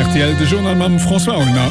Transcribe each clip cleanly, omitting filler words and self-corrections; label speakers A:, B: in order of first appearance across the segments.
A: Rtl, de Journal mam François Aulner.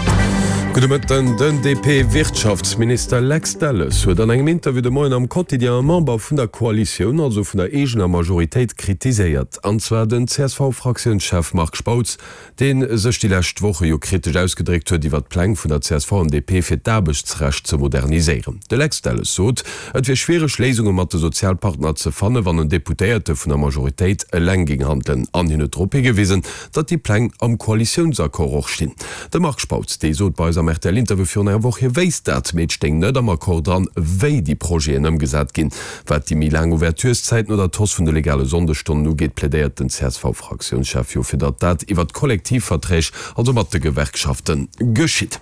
B: Gudde Mëtten. Den DP-Wirtschaftsminister Lex Delles huet an engem Interview de Moien am Quotidien e Member vun der Koalitioun, also vun der eegener Majoritéit, kritiséiert. An zwar den CSV-Fraktiounschef Marc Spautz, dee sech déi lescht Woche jo kritesch ausgedréckt huet iwwert d'Pläng vun der csv an DP fir d'Aarbechtsrecht ze moderniséieren. De Lex Delles sot, et wier schwiereg Léisunge mat de Sozialpartner ze fanne wann en Deputéierte vun der Majoritéit eleng géing handelen. An hien huet drop higewisen, datt déi Pläng am Koalitiounsaccord och stinn. De Marc Spautz, dee sot bei eis am RTL-Interview virun enger Woch, hie wéisst dat, mee et stéing net am Accord dran, wéi déi Projeten ëmgesat ginn. Wat déi méi laang Ouvertureszäiten oder d'Hausse vun de legale Sonndesstonnen ugeet, plädéiert den CSV-Fraktiounschef jo fir datt dat iwwert Kollektivverträg, also mat de Gewerkschaften, geschitt.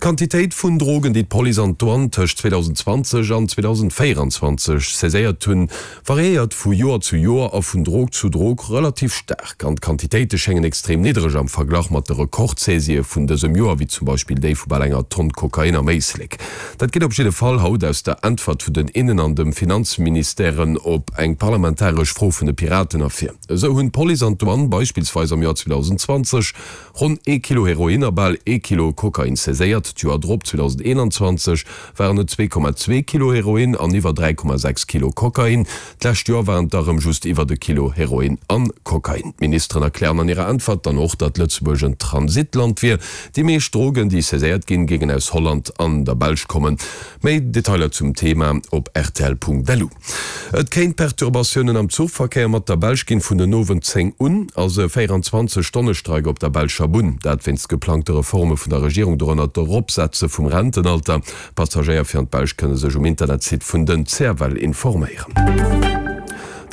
B: D'Quantitéit vun Drogen, déi d'Police an d'Douane tëscht 2020 an 2024 saiséiert hunn, variéiert vu Joer zu Joer a vun Drog zu Drog relativ staark. An d'Quantitéite schéngen extrem niddereg am Verglach mat de Rekordsaisië vun dësem Joer, wéi zum Beispill déi vu bal enger Tonn Kokain am Éislek. Dat geet op jidde Fall haut aus der Äntwert vun den Innen an dem Finanzministèren op eng parlamentaresch Fro vun de Piraten ervir. Esou hunn d'Police an d'Douane beispillsweis am Joer 2020 ronn ee Kilo Heroin a bal ee Kilo Kokain saiséiert. D'Joer drop, 2021, waren et 2,2 Kilo Heroin an iwwer 3,6 Kilo Kokain. D'lescht Joer waren et der erëm just iwwert e Kilo Heroin an Kokain. D'Ministeren erklären an hirer Äntwert dann och, datt Lëtzebuerg en Transitland wier. Déi meescht Drogen, déi saiséiert ginn, géingen aus Holland an der Belsch kommen. Méi Detailer zum Thema op rtl.lu. Et kéint Perturbatiounen am Zuchverkéier mat der Belsch ginn. Vun den Owend 10 un ass e 24 Stonne Streik op der belscher Bunn. Dat wéinst geplangte Reforme vun der Regierung, dorënner d'Eropsetze vum Rentenalter. Passagéier fir an d'Belsch kënne sech um Internetsite vun den CFL informéieren.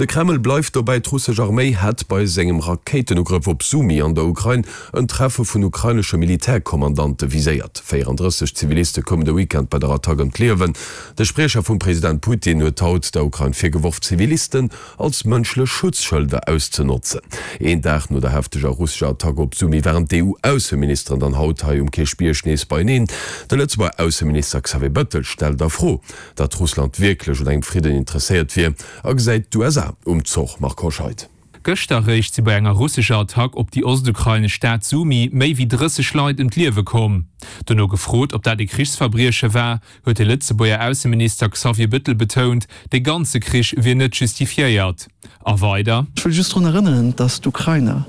B: De Kreml bleift dobäi, d'russesch Arméi hätt bei sengem Rakéitenugrëff op Sumy an der Ukrain en Treffe vun ukrainesche Militärkommandante viséiert. 34 Ziviliste koumen de Weekend bei der Attack ëm d'Liewen. De Spriecher vum President Putin huet haut der Ukrain virgeworf, Zivilisten als mënschlech Schutzschëlder auszenotzen. Een Dag no der hefteger russescher Attack op Sumy waren d'EU-Ausseministeren dann haut hei um Kierchbierg nees beieneen. De Lëtzebuerger Ausseminister Xavier Bettel stellt a Fro, datt Russland wierklech un engem Fridden interesséiert wier a gesäit d'USA um Zoch. Marc Hoscheid.
C: Gëschter eréischt si bei enger russescher Attack op déi ostukrainesch Stad Sumy méi wéi 30 Leit ëm d'Liewe komm. Dono gefrot, ob dat ee Krichsverbrieche war, huet de Lëtzebuerger Ausseminister Xavier Bettel betount, de ganze Krich wier net justifiéiert. A weider.
D: Ech wëll just drun erënneren, datt d'Ukrainer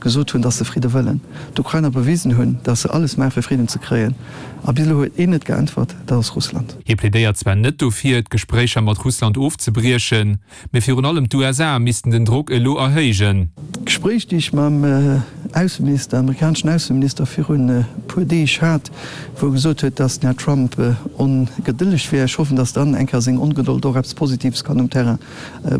D: gesot hunn, datt se Fridde wëllen. D'Ukrainer bewisen hunn, datt se alles maachen, fir Fridden ze kréien. A bis elo huet een net geäntwert, dat ass Russland.
C: Hie plädéiert zwar net dofir, d'Gespréicher mat Russland ofzebriechen, Mee virun allem d'USA missten den Drock elo erhéijen.
D: D'Gespréich, déi ech mam Ausseminister, amerikaneschen Ausseminister virun e puer Deeg hat, wou e gesot huet, datt den Här Trump ongedëlleg wär. Ech hoffen, datt dann eng Kéier seng Ongedold och eppes Positives kann um Terrain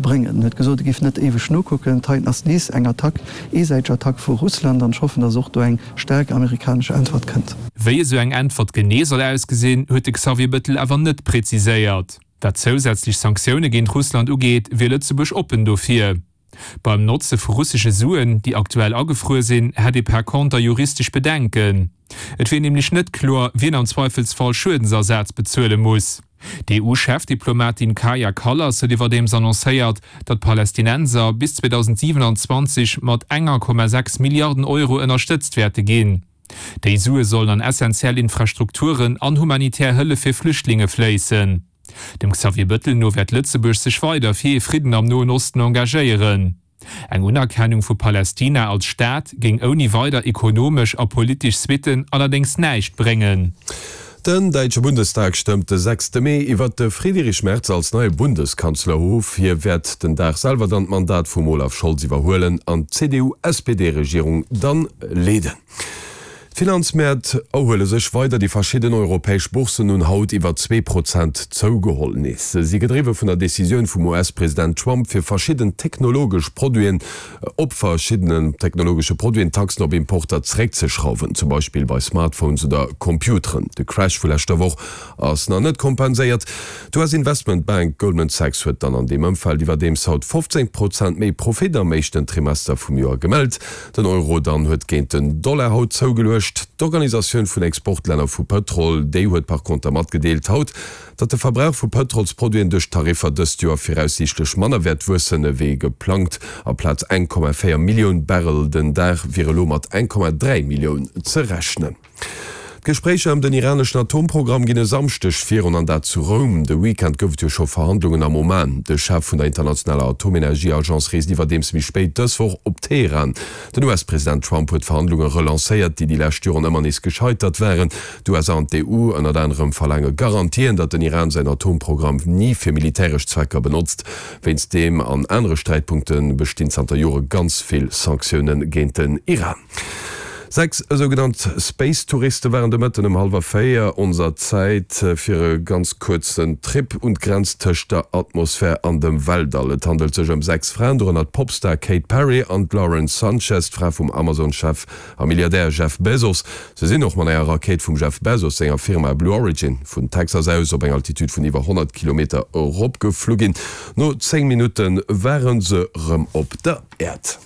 D: bréngen. En huet gesot, e géif net éiweg nokucken. D'heiten ass nees eng Attack, eesäiteg Attack vu Russland, an ech hoffen, datt och do eng staark amerikanesch Äntwert kënnt.
C: Wéi esou eng Äntwert genee soll ausgesinn, huet de Xavier Bettel awer net präziséiert. Wat zousätzlech Sanktioune géint Russland ugeet, wier Lëtzebuerg oppen dofir. Beim Notze vu russesche Suen, déi aktuell agefruer sinn, hätt ee par conter juristesch Bedenken. Et wier nämlech net kloer, wien am Zweifelsfall Schuedensersaz bezuele muss. D'EU-Chefdiplomatin Kaja Kallas huet iwwerdeems annoncéiert, datt d'Palästinenser bis 2027 mat enger Komma 6 Milliarden Euro ënnerstëtzt wäerte ginn. Déi Sue sollen an essentiell Infrastrukturen an humanitär Hëllef fir Flüchtlinge fléissen. Dem Xavier Bettel no wäert Lëtzebuerg sech weider fir ee Fridden am Noen Osten engagéieren. Eng Unerkennung vu Palästina als Staat géing ouni weider ekonomesch a politesch Suitten allerdéngs näischt bréngen.
B: Den däitsche Bundestag stëmmt de sechste Mee iwwert de Friedrich Merz als neie Bundeskanzler of. Hie wäert den Dag selwer dann d'Mandat vum Olaf Scholz iwwerhuelen an d'CDU-SPD-Regierung dann leeden. D'Finanzmäert erhuele sech weider, déi verschidden europäesch Bourssen hunn haut iwwer 2% zougeholl. Nees si gedriwwe vun der Decisioun vum US-President Trump fir verschidden technologesch Produiten op verschiddenen technologesche Produiten d'Taxen op Importer zeréckzeschrauwen, zum Beispill bei Smartphones oder Computeren. De Crash vu leschter Woch ass nach net kompenséiert. D'US-Investmentbank Goldman Sachs huet dann an deem Ëmfeld iwwerdeems haut 15 Prozent méi Profit am éischten Trimester vum Joer gemellt. Den Euro dann huet géint den Dollar haut zougeluecht. näischt. D'Organisatioun vun Exportlänner vu Pëtrol, déi huet par conter matgedeelt haut, datt de Verbrauch vu Pëtrolsproduiten duerch d'Tariffer dëst Joer viraussiichtlech manner wäert wuessen ewéi geplangt. Amplaz 1,4 Millioun Barrel den Dag wier elo mat 1,3 Millioun ze rechnen. D'Gespréicher ëm den iraneschen Atomprogramm ginn e Samschdeg virun, an dat zu Roum. De Weekend gouf et jo scho Verhandlungen am Oman. De Chef vun der internationaler Atomenergieagence reest iwwerdeems méi spéit dës Woch op Teheran. Den US-President Trump huet d'Verhandlunge relancéiert, déi déi lescht Joren ëmmer nees gescheitert waren. D'USA an d'EU ënnert anerem verlaange Garantien, datt den Iran säin Atomprogramm ni fir militäresch Zwecker benotzt. Wéinst deem an anere Sträitpunkte bestinn zanter Jore ganz vill Sanktioune géint den Iran. 6 esougenannt Space-Touriste waren de Mëtten ëm hallwer 4 onser Zäit fir e ganz kuerzen Trip un d'Grenz tëscht der Atmosphär an dem Weltall. Et handelt sech ëm 6 Fraen, dorënner d'Popstar Kate Perry an d'Lauren Sanchez, d'Fra vum Amazon-Chef a Milliardär Jeff Bezos. Se sinn och mat enger Rakéit vum Jeff Bezos senger Firma Blue Origin vun Texas aus op eng Altitude vun iwwer 100 Kilometer eropgeflu ginn. No 10 Minutte ware se rëm op der Äerd.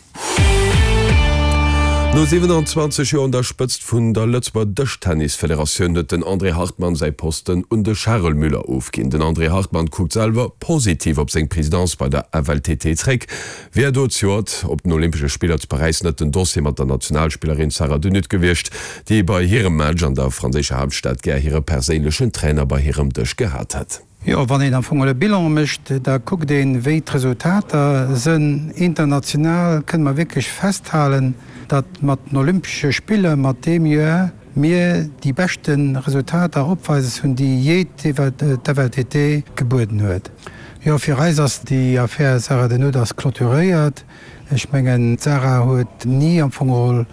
B: No 27 Joer un der Spëtzt vun der Lëtzebuerger Dëschtennisfederatioun huet den André Hartmann säi Posten un de Charel Müller ofginn. Den André Hartmann kuckt selwer positiv op seng Presidence bei der FLTT zréck. Wier do zejoert op den Olympesche Spiller zu Paräis net den Dossier mat der Nationalspillerin Sarah De Nutte gewiescht, déi bei hirem Match an der franséischer Haaptstad gär hire perséinlechen Trainer bei hirem Dësch gehat hätt.
E: Jo, wann een am Fong e Bilan mécht, da kuckt een, wéi d'Resultater sënn. International kënne mer wierklech festhalen, datt mat den Olympesche Spiller, mat deem Joer, mir déi beschte Resultater opweises hunn, déi jee d'FLTT gebueden huet. Jo, fir eis ass déi Affär Sarah De Nutte ass clôturéiert. Ech mengen, d'Sarah huet ni am Fong geholl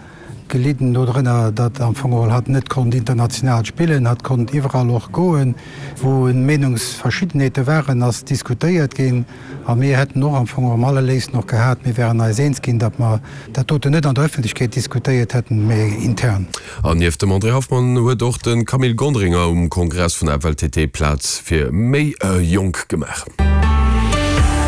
E: gelidden dodrënner, datt am Fong geholl hatt net konnt international spillen. Hatt konnt iwwerall och goen, wou Meenungsverschiddenheete waren, ass diskutéiert ginn. A mir hätten och am Fong am allerléifsten och gehat, mir wären eis eens ginn, datt mer dat doten net an der Öffentlechkeet diskutéiert hätten, mä intern.
B: An nieft dem André Hoffmann huet och de Camille Gonderinger um Kongress vun der FLTT Plaz fir méi Jonk gemaach.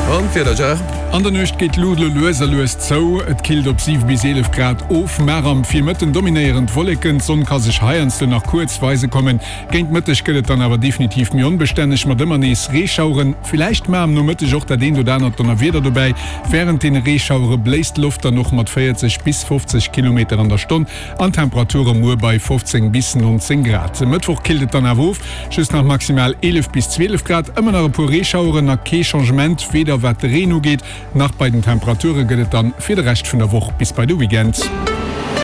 B: An d'Wieder, Gérard?
A: An der Nuecht geet d'Luucht elo lues a lues zou, et killt op 7 bis 11 Grad of. Mar am Virmëtten dominéieren d'Wolleken, d'Sonn ka sech heiansdo nach kuerz weise kommen. Géint Mëtteg gëtt et dann awer definitiv méi onbestänneg mat ëmmer nees Reeschaueren. Villäicht mar am Nomëtteg och dat eent oder anert Donnerwieder dobäi. Wärend deene Reeschauere bléist d'Loft dann och mat 40 bis 50 Kilometer an der Stonn an Temperature muer bei 15 bis 19 Grad. E Mëttwoch killt et dann awer of, just nach maximal 11 bis 12 Grad, ëmmer nach e puer Reeschaueren a kee Changement, weder wat de Reen ugeet, nach bei den Temperature gëtt et dann fir de Rescht vun der Woch bis bei de Weekend.